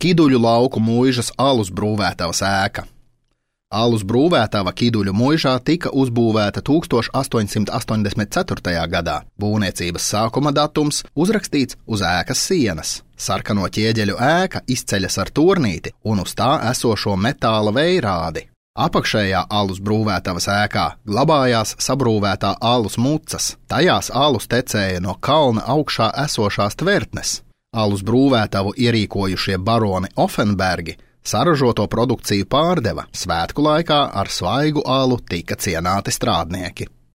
Kiduļu lauku muižas alus brūvētavas ēka. Alus brūvētava Kiduļu muižā tika uzbūvēta 1884. gadā. Būvniecības sākuma datums uzrakstīts uz ēkas sienas. Sarkano ķieģeļu ēka izceļas ar turnīti un uz tā esošo metāla vējrādi. Apakšējā alus brūvētavas ēkā glabājās sabrūvētā alus mucas. Tajās alus tecēja no kalna augšā esošās tvertnes. Alus brūvētavu ierīkojušie baroni Offenbergi saražoto produkciju pārdeva. Svētku laikā ar svaigu alu tika cienāti strādnieki.